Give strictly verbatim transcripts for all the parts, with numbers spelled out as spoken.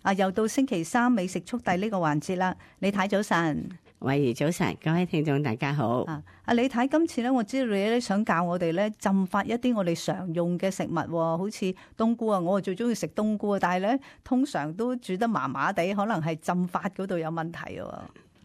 啊，又到星期三美食速遞呢個環節啦。李太早晨。慧怡早晨，各位聽眾大家好。啊，阿李太，今次咧，我知道你咧想教我哋咧浸發一啲我哋常用嘅食物，好似冬菇啊，我最中意食冬菇啊，但係咧通常都煮得麻麻地，可能係浸發嗰度有問題喎。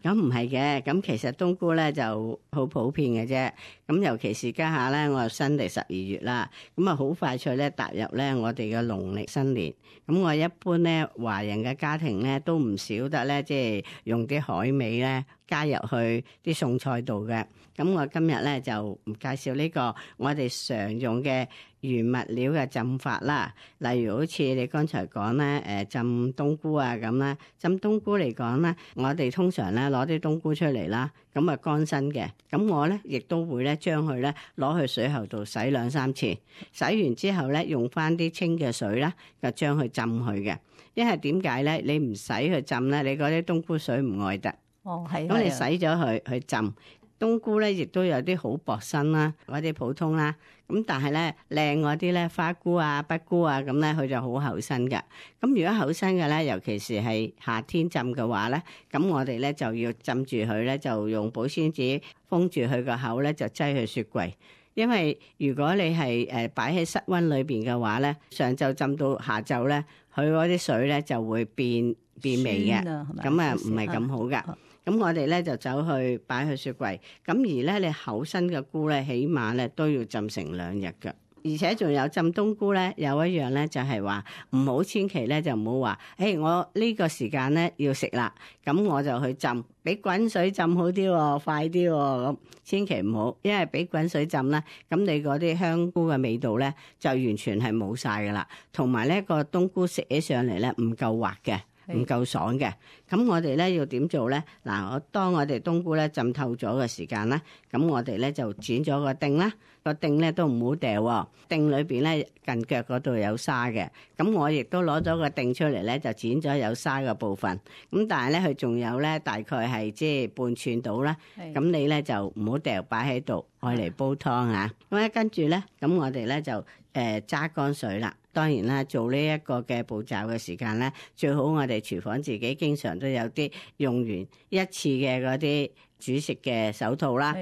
咁唔係嘅，咁其實冬菇咧就好普遍嘅啫。咁尤其是家下咧，我又新嚟十二月啦，咁啊好快脆咧踏入咧我哋嘅農曆新年。咁我一般咧華人嘅家庭咧都唔少得咧，即係用啲海味咧加入去啲餸菜度嘅。咁我今日咧就唔介紹呢個我哋常用嘅原物料嘅浸法啦。例如好似你剛才講咧，誒浸冬菇啊咁啦。浸冬菇嚟講咧，我哋通常咧攞啲冬菇出嚟啦，咁啊乾身嘅。咁我咧亦都會咧將佢咧攞去水喉度洗兩三次，洗完之後咧用翻啲清嘅水啦，就將佢浸佢嘅。因為點解咧？你唔使去浸咧，你嗰啲冬菇水唔愛得。哦，係。咁你洗咗佢去浸。冬菇咧，亦都有啲好薄身啦，嗰啲普通啦。咁但係咧靚嗰啲咧，花菇啊、北菇啊，咁咧佢就好厚身嘅。咁如果厚身嘅咧，尤其是係夏天浸嘅話咧，咁我哋咧就要浸住佢咧，就用保鮮紙封住佢個口咧，就擠去雪櫃。因為如果你係誒擺喺室溫裏邊嘅話咧，上晝浸到下晝咧，佢嗰啲水咧就會變變味嘅，咁啊唔係咁好噶。咁我哋咧就走去擺去雪櫃，咁而咧你厚身嘅菇咧，起碼咧都要浸成兩日㗎。而且仲有浸冬菇咧，有一樣咧就係話唔好千祈咧就唔好話，誒我呢個時間咧要食啦，咁我就去浸，俾滾水浸好啲喎，快啲喎，咁千祈唔好，因為俾滾水浸咧，咁你嗰啲香菇嘅味道咧就完全係冇晒噶啦，同埋咧個冬菇食起上嚟咧唔夠滑嘅。唔夠爽嘅，咁我哋咧要點做咧？嗱，我當我哋冬菇咧浸透咗嘅時間啦，咁我哋咧就剪咗個丁啦，個丁咧都唔好掉喎，丁裏邊咧近腳嗰度有沙嘅，咁我亦都攞咗個丁出嚟咧，就剪咗有沙嘅部分，咁但係咧佢仲有咧大概係即係半寸到啦，咁你咧就唔好掉，擺喺度愛嚟煲湯啊，咁咧跟住咧，咁我哋咧就誒揸乾水啦。當然啦，做呢一個嘅步驟嘅時間咧，最好我哋廚房自己經常都有啲用完一次嘅嗰啲煮食嘅手套啦。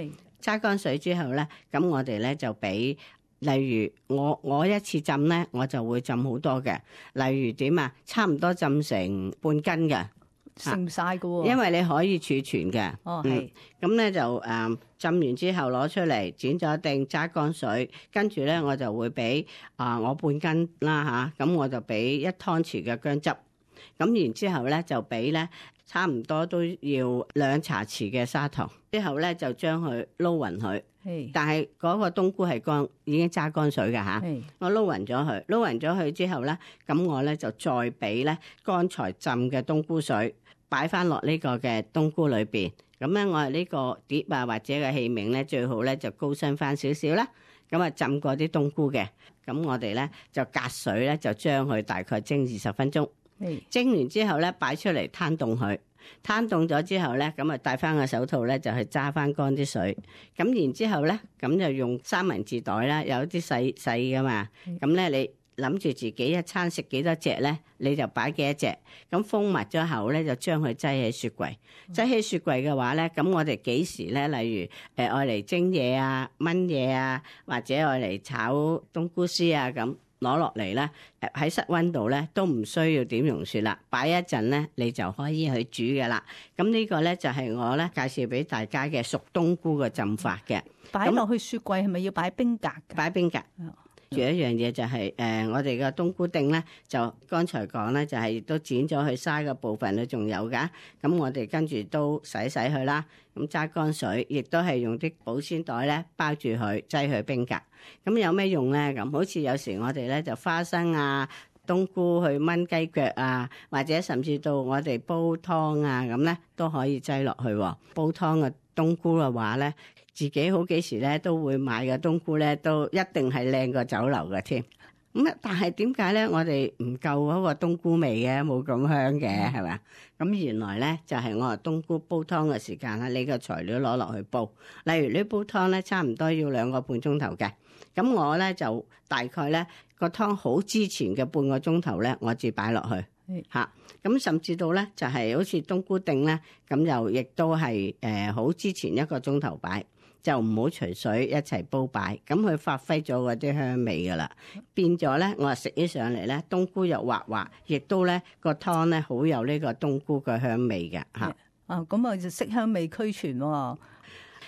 揸乾水之後咧，咁我哋咧就俾，例如我我一次浸咧，我就會浸好多嘅。例如點啊？差唔多浸成半斤嘅。食唔晒噶喎，因為你可以儲存嘅。哦，係。咁咧、嗯、就誒、嗯、浸完之後攞出嚟，剪咗定揸乾水，跟住咧我就會俾啊、呃、我半斤啦吓，咁、啊、我就俾一湯匙嘅薑汁，咁然之後咧就俾咧差唔多都要兩茶匙嘅砂糖，之後咧就將佢撈勻佢。但係嗰個冬菇係乾，已經揸乾水嘅吓，我撈勻咗佢，撈勻咗佢之後咧，咁我咧就再俾咧剛才浸嘅冬菇水擺翻落呢個嘅冬菇裏邊。咁咧我係呢個碟啊或者嘅器皿咧最好咧就高身翻少少啦。咁啊浸過啲冬菇嘅，咁我哋咧就隔水咧就將佢大概蒸二十分鐘。蒸完之後咧擺出嚟攤凍佢。攤凍咗之後咧，咁啊戴翻個手套咧，就去揸翻乾啲水。咁然之後咧，咁就用三文治袋啦，有啲細細噶嘛。咁咧你諗住自己一餐食幾多隻咧，你就擺幾多隻。咁封密咗後咧，就將佢擠喺雪櫃。擠喺雪櫃嘅話咧，咁我哋幾時咧？例如誒愛嚟蒸嘢啊、炆嘢啊，或者愛嚟炒冬菇絲啊咁。攞落嚟咧，喺室溫度咧都唔需要點溶雪啦，擺一陣咧你就可以去煮嘅啦。咁呢個咧就係我咧介紹俾大家嘅熟冬菇嘅浸法嘅。擺落去雪櫃係咪要擺冰格嘅？擺冰格。仲有一樣嘢就係、是、誒、呃，我哋嘅冬菇丁咧，就剛才講咧，就係、是、都剪咗佢沙嘅部分咧，仲有噶。咁我哋跟住都洗洗佢啦，咁揸乾水，亦都係用啲保鮮袋咧包住佢，擠去冰格。咁有咩用咧？咁好似有時我哋咧就花生啊、冬菇去炆雞腳啊，或者甚至到我哋煲湯啊，咁咧都可以擠落去。煲湯嘅冬菇嘅話咧，自己好幾時咧都會買嘅冬菇咧，都一定係靚過酒樓嘅添。咁啊，但係點解咧？我哋唔夠嗰個冬菇味嘅，冇咁香嘅，係咪？咁原來咧就係我話冬菇煲湯嘅時間啦，你個材料攞落去煲。例如呢煲湯咧，差唔多要兩個半鐘頭嘅。咁我咧就大概咧個湯好之前嘅半個鐘頭咧，我至擺落去。嚇。咁甚至到咧就係好似冬菇定咧，咁就亦都係誒好之前一個鐘頭擺。就唔好隨水一齊煲擺，咁佢發揮咗嗰啲香味噶啦，變咗咧，我話食起上嚟咧，冬菇又滑滑，亦都咧個湯咧好有呢個冬菇嘅香味嘅嚇。啊，咁啊就色香味俱全喎。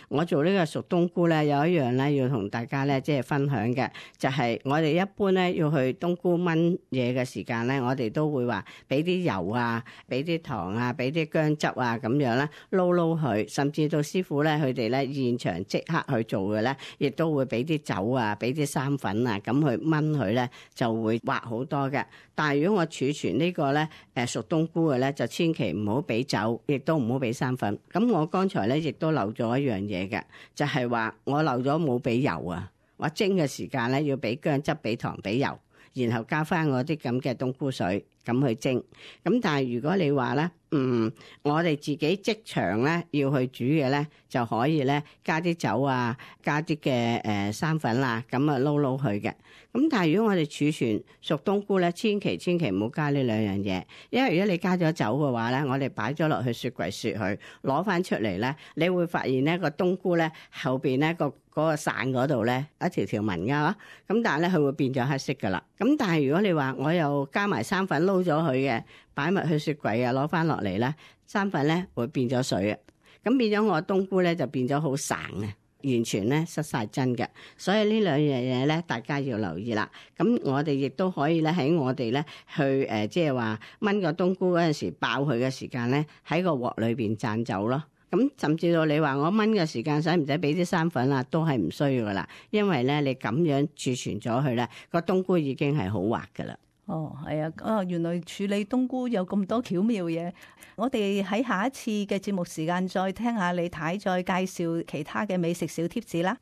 我做呢個熟冬菇咧，有一樣咧要同大家咧即係分享嘅，就係我哋一般咧要去冬菇炆嘢嘅時間咧，我哋都會話俾啲油啊，俾啲糖啊，俾啲薑汁啊咁樣咧撈撈佢，甚至到師傅咧佢哋咧現場即刻去做嘅咧，亦都會俾啲酒啊，俾啲生粉啊，咁去炆佢咧就會滑好多嘅。但係如果我儲存呢個咧誒熟冬菇嘅咧，就千祈唔好俾酒，亦都唔好俾生粉。咁我剛才咧亦都漏咗一樣嘢嘅，就係話我漏咗冇俾油啊！我蒸嘅時間咧要俾薑汁、俾糖、俾油，然後加翻我啲咁嘅冬菇水咁去蒸。咁但係如果你話咧，嗯，我哋自己即場咧要去煮嘅咧，就可以咧加啲酒啊，加啲嘅誒生粉啦，咁啊撈撈佢嘅。咁但係如果我哋儲存熟冬菇咧，千祈千祈唔好加呢兩樣嘢，因為如果你加咗酒嘅話咧，我哋擺咗落去雪櫃雪佢，攞翻出嚟咧，你會發現咧個冬菇咧後邊咧個嗰個傘嗰度咧一條條紋㗎，咁但係咧佢會變咗黑色㗎啦。咁但係如果你話我又加埋生粉撈咗佢嘅，擺埋去雪櫃啊，攞翻落嚟咧，生粉咧會變咗水啊，咁變咗我冬菇咧就變咗好散啊。完全咧失晒真嘅，所以呢兩樣嘢咧，大家要留意啦。咁我哋亦都可以咧喺我哋咧去誒，即係話炆個冬菇嗰陣時爆佢嘅時間咧，喺個鑊裏邊灒走咯。咁甚至到你話我炆嘅時間使唔使俾啲生粉啊？都係唔需要噶啦，因為咧你咁樣儲存咗佢咧，個冬菇已經係好滑噶啦。哦，係啊，啊，原來處理冬菇有咁多巧妙嘢。我哋喺下一次嘅節目時間再聽下李太再介紹其他嘅美食小貼士啦。